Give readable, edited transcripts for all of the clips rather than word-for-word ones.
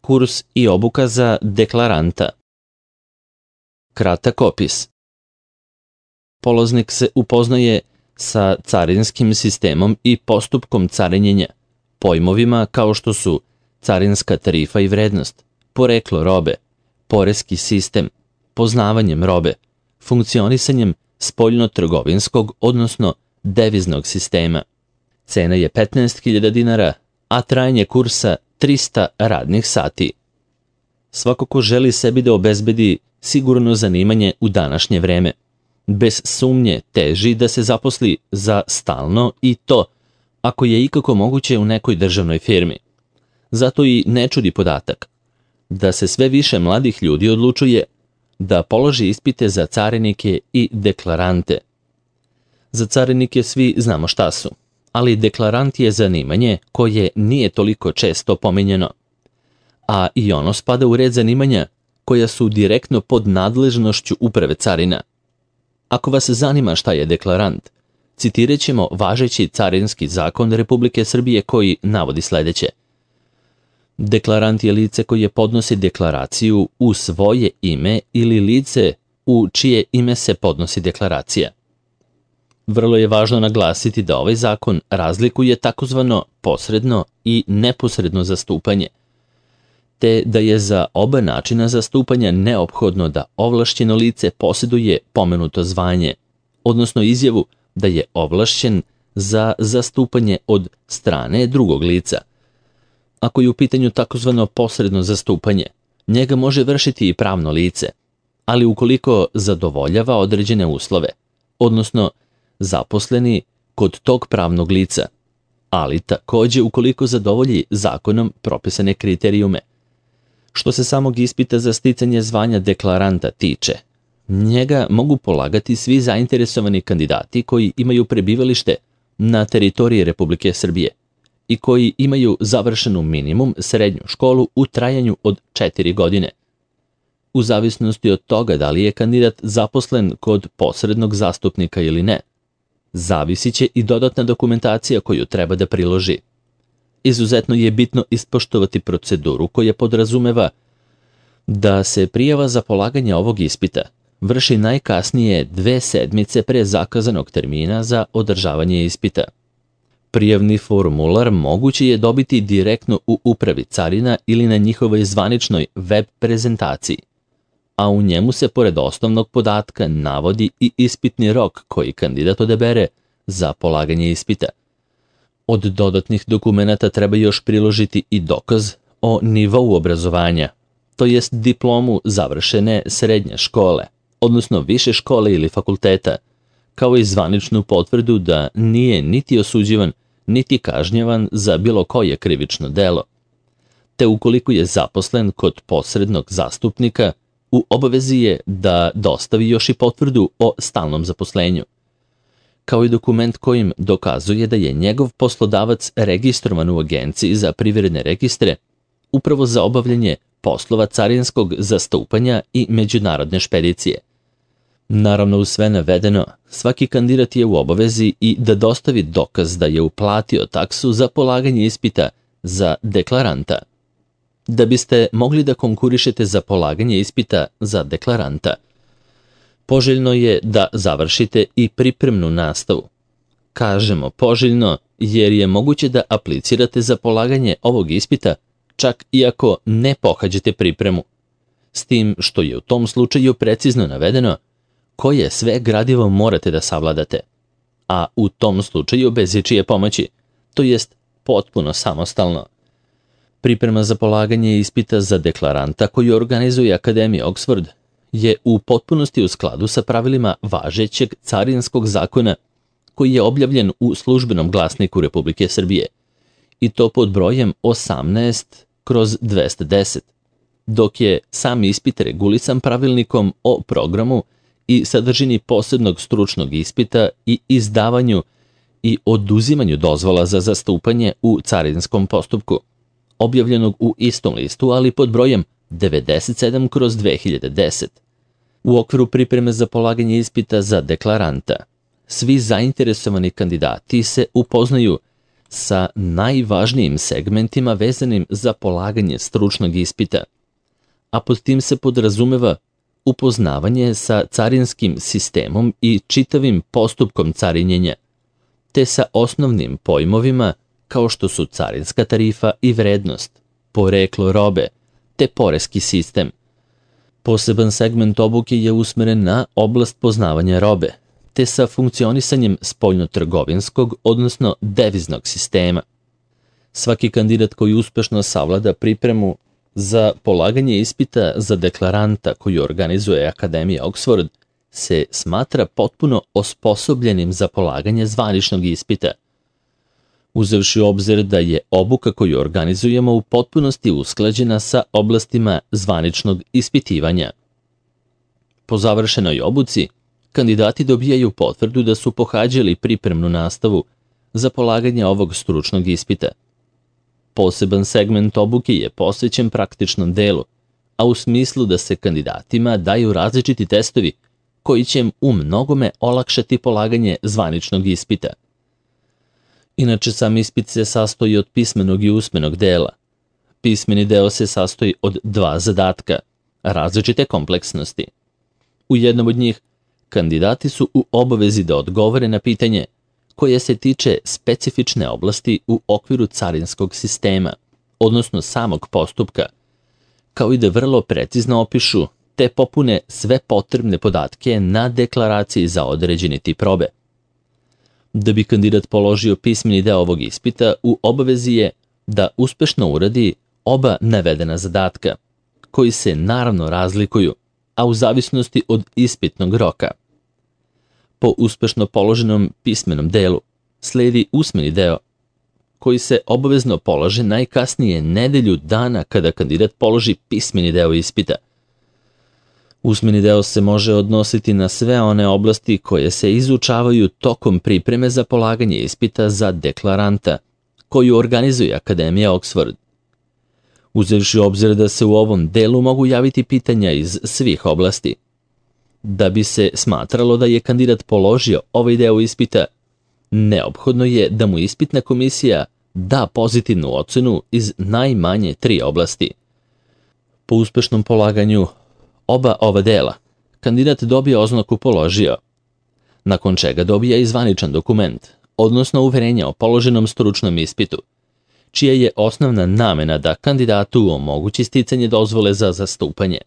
Kurs i obuka za deklaranta. Kratak opis. Polaznik se upoznaje sa carinskim sistemom i postupkom carinjenja, pojmovima kao što su carinska tarifa i vrednost, poreklo robe, poreski sistem, poznavanjem robe, funkcionisanjem spoljno-trgovinskog, odnosno deviznog sistema. Cena je 15.000 dinara, a trajanje kursa 300 radnih sati. Svako ko želi sebi da obezbedi sigurno zanimanje u današnje vreme, bez sumnje teži da se zaposli za stalno i to, ako je ikako moguće u nekoj državnoj firmi. Zato i ne čudi podatak da se sve više mladih ljudi odlučuje da položi ispite za carinike i deklarante. Za carinike svi znamo šta su, ali deklarant je zanimanje koje nije toliko često pominjeno, a i ono spada u red zanimanja koja su direktno pod nadležnošću Uprave carina. Ako vas zanima šta je deklarant, citirat ćemo važeći carinski zakon Republike Srbije koji navodi sledeće. Deklarant je lice koje podnosi deklaraciju u svoje ime ili lice u čije ime se podnosi deklaracija. Vrlo je važno naglasiti da ovaj zakon razlikuje takozvano posredno i neposredno zastupanje, te da je za oba načina zastupanja neophodno da ovlašćeno lice posjeduje pomenuto zvanje, odnosno izjavu da je ovlašćen za zastupanje od strane drugog lica. Ako je u pitanju takozvano posredno zastupanje, njega može vršiti i pravno lice, ali ukoliko zadovoljava određene uslove, odnosno zaposleni kod tog pravnog lica, ali takođe ukoliko zadovolji zakonom propisane kriterijume. Što se samog ispita za sticanje zvanja deklaranta tiče, njega mogu polagati svi zainteresovani kandidati koji imaju prebivalište na teritoriji Republike Srbije i koji imaju završenu minimum srednju školu u trajanju od 4 godine. U zavisnosti od toga da li je kandidat zaposlen kod posrednog zastupnika ili ne, zavisit će i dodatna dokumentacija koju treba da priloži. Izuzetno je bitno ispoštovati proceduru koja podrazumeva da se prijava za polaganje ovog ispita vrši najkasnije 2 sedmice pre zakazanog termina za održavanje ispita. Prijavni formular moguće je dobiti direktno u Upravi carina ili na njihovoj zvaničnoj web prezentaciji, a u njemu se pored osnovnog podatka navodi i ispitni rok koji kandidat odabere za polaganje ispita. Od dodatnih dokumenata treba još priložiti i dokaz o nivou obrazovanja, to jest diplomu završene srednje škole, odnosno više škole ili fakulteta, kao i zvaničnu potvrdu da nije niti osuđivan, niti kažnjavan za bilo koje krivično delo, te ukoliko je zaposlen kod posrednog zastupnika, u obavezi je da dostavi još i potvrdu o stalnom zaposlenju, kao i dokument kojim dokazuje da je njegov poslodavac registrovan u Agenciji za privredne registre upravo za obavljanje poslova carinskog zastupanja i međunarodne špedicije. Naravno, uz sve navedeno, svaki kandidat je u obavezi i da dostavi dokaz da je uplatio taksu za polaganje ispita za deklaranta. Da biste mogli da konkurišete za polaganje ispita za deklaranta, poželjno je da završite i pripremnu nastavu. Kažemo poželjno jer je moguće da aplicirate za polaganje ovog ispita čak i ako ne pohađate pripremu, s tim što je u tom slučaju precizno navedeno koje sve gradivo morate da savladate, a u tom slučaju bez ičije pomoći, to jest potpuno samostalno. Priprema za polaganje ispita za deklaranta koju organizuje Akademija Oxford je u potpunosti u skladu sa pravilima važećeg carinskog zakona koji je objavljen u Službenom glasniku Republike Srbije i to pod brojem 18/210, dok je sam ispit regulisan pravilnikom o programu i sadržini posebnog stručnog ispita i izdavanju i oduzimanju dozvola za zastupanje u carinskom postupku, objavljenog u istom listu, ali pod brojem 97/2010. U okviru pripreme za polaganje ispita za deklaranta, svi zainteresovani kandidati se upoznaju sa najvažnijim segmentima vezanim za polaganje stručnog ispita, a pod tim se podrazumeva upoznavanje sa carinskim sistemom i čitavim postupkom carinjenja, te sa osnovnim pojmovima kao što su carinska tarifa i vrednost, poreklo robe, te poreski sistem. Poseban segment obuke je usmeren na oblast poznavanja robe, te sa funkcionisanjem spoljnotrgovinskog, odnosno deviznog sistema. Svaki kandidat koji uspešno savlada pripremu za polaganje ispita za deklaranta koju organizuje Akademija Oxford se smatra potpuno osposobljenim za polaganje zvaničnog ispita. Uzevši u obzir da je obuka koju organizujemo u potpunosti usklađena sa oblastima zvaničnog ispitivanja. Po završenoj obuci, kandidati dobijaju potvrdu da su pohađali pripremnu nastavu za polaganje ovog stručnog ispita. Poseban segment obuke je posvećen praktičnom delu, a u smislu da se kandidatima daju različiti testovi koji će im u mnogome olakšati polaganje zvaničnog ispita. Inače, sam ispit se sastoji od pismenog i usmenog dela. Pismeni deo se sastoji od 2 zadatka, različite kompleksnosti. U jednom od njih, kandidati su u obavezi da odgovore na pitanje koje se tiče specifične oblasti u okviru carinskog sistema, odnosno samog postupka, kao i da vrlo precizno opišu te popune sve potrebne podatke na deklaraciji za određeni tip robe. Da bi kandidat položio pismeni deo ovog ispita, u obavezi je da uspešno uradi oba navedena zadatka, koji se naravno razlikuju, a u zavisnosti od ispitnog roka. Po uspešno položenom pismenom delu sledi usmeni deo, koji se obavezno polaže najkasnije nedelju dana kada kandidat položi pismeni deo ispita. Usmeni deo se može odnositi na sve one oblasti koje se izučavaju tokom pripreme za polaganje ispita za deklaranta, koju organizuje Akademija Oxford. Uzevši u obzir da se u ovom delu mogu javiti pitanja iz svih oblasti. Da bi se smatralo da je kandidat položio ovaj deo ispita, neophodno je da mu ispitna komisija da pozitivnu ocenu iz najmanje 3 oblasti. Po uspešnom polaganju oba ova dela, kandidat dobije oznaku položio, nakon čega dobija i zvaničan dokument, odnosno uverenje o položenom stručnom ispitu, čija je osnovna namena da kandidatu omogući sticanje dozvole za zastupanje.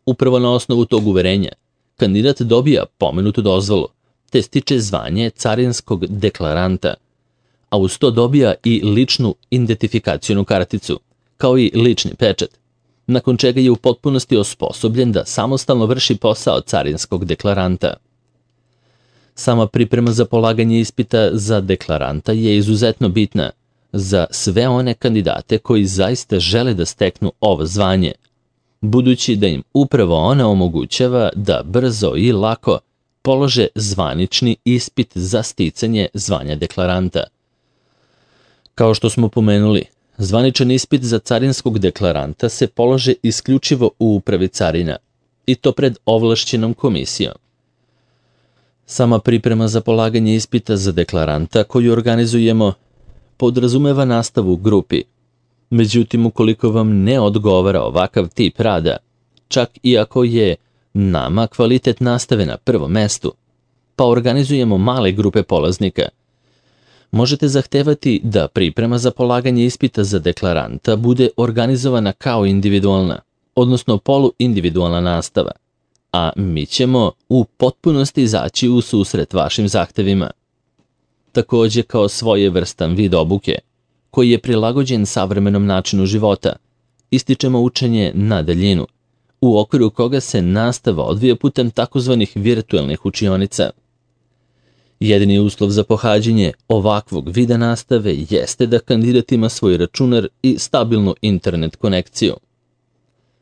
Upravo na osnovu tog uverenja, kandidat dobija pomenutu dozvolu, te stiče zvanje carinskog deklaranta, a uz to dobija i ličnu identifikacionu karticu, kao i lični pečat, nakon čega je u potpunosti osposobljen da samostalno vrši posao carinskog deklaranta. Sama priprema za polaganje ispita za deklaranta je izuzetno bitna za sve one kandidate koji zaista žele da steknu ovo zvanje, budući da im upravo ona omogućava da brzo i lako polože zvanični ispit za sticanje zvanja deklaranta. Kao što smo pomenuli, zvaničan ispit za carinskog deklaranta se polaže isključivo u upravi carina, i to pred ovlašćenom komisijom. Sama priprema za polaganje ispita za deklaranta koju organizujemo podrazumeva nastavu u grupi. Međutim, ukoliko vam ne odgovara ovakav tip rada, čak i ako je nama kvalitet nastave na prvom mestu, pa organizujemo male grupe polaznika, možete zahtevati da priprema za polaganje ispita za deklaranta bude organizovana kao individualna, odnosno poluindividualna nastava, a mi ćemo u potpunosti izaći u susret vašim zahtevima. Takođe, kao svojevrstan vid obuke, koji je prilagođen savremenom načinu života, ističemo učenje na daljinu, u okviru koga se nastava odvija putem takozvanih virtuelnih učionica. Jedini uslov za pohađanje ovakvog vida nastave jeste da kandidat ima svoj računar i stabilnu internet konekciju.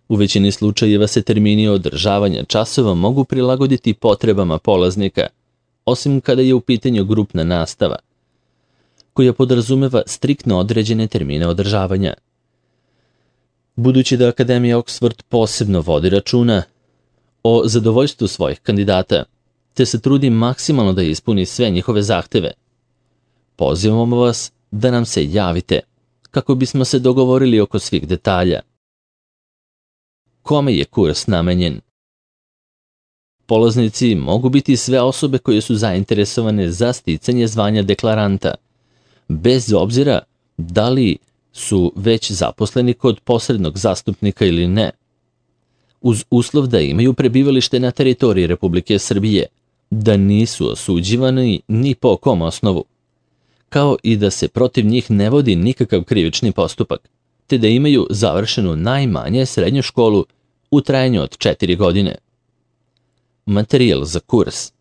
U većini slučajeva se termini održavanja časova mogu prilagoditi potrebama polaznika, osim kada je u pitanju grupna nastava, koja podrazumeva striktno određene termine održavanja. Budući da Akademija Oxford posebno vodi računa o zadovoljstvu svojih kandidata, te se trudi maksimalno da ispuni sve njihove zahteve, pozivamo vas da nam se javite, kako bismo se dogovorili oko svih detalja. Kome je kurs namenjen? Polaznici mogu biti sve osobe koje su zainteresovane za sticanje zvanja deklaranta, bez obzira da li su već zaposleni kod posrednog zastupnika ili ne, uz uslov da imaju prebivalište na teritoriji Republike Srbije, da nisu osuđivani ni po kom osnovu, kao i da se protiv njih ne vodi nikakav krivični postupak, te da imaju završenu najmanje srednju školu u trajanju od 4 godine. Materijal za kurs.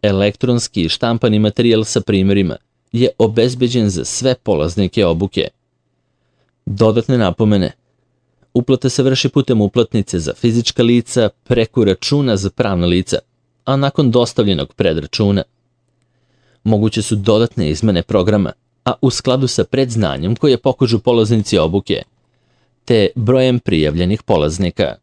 Elektronski i štampani materijal sa primjerima je obezbeđen za sve polaznike obuke. Dodatne napomene. Uplata se vrši putem uplatnice za fizička lica preko računa za pravna lica, a nakon dostavljenog predračuna. Moguće su dodatne izmene programa, a u skladu sa predznanjem koje pokažu polaznici obuke, te brojem prijavljenih polaznika.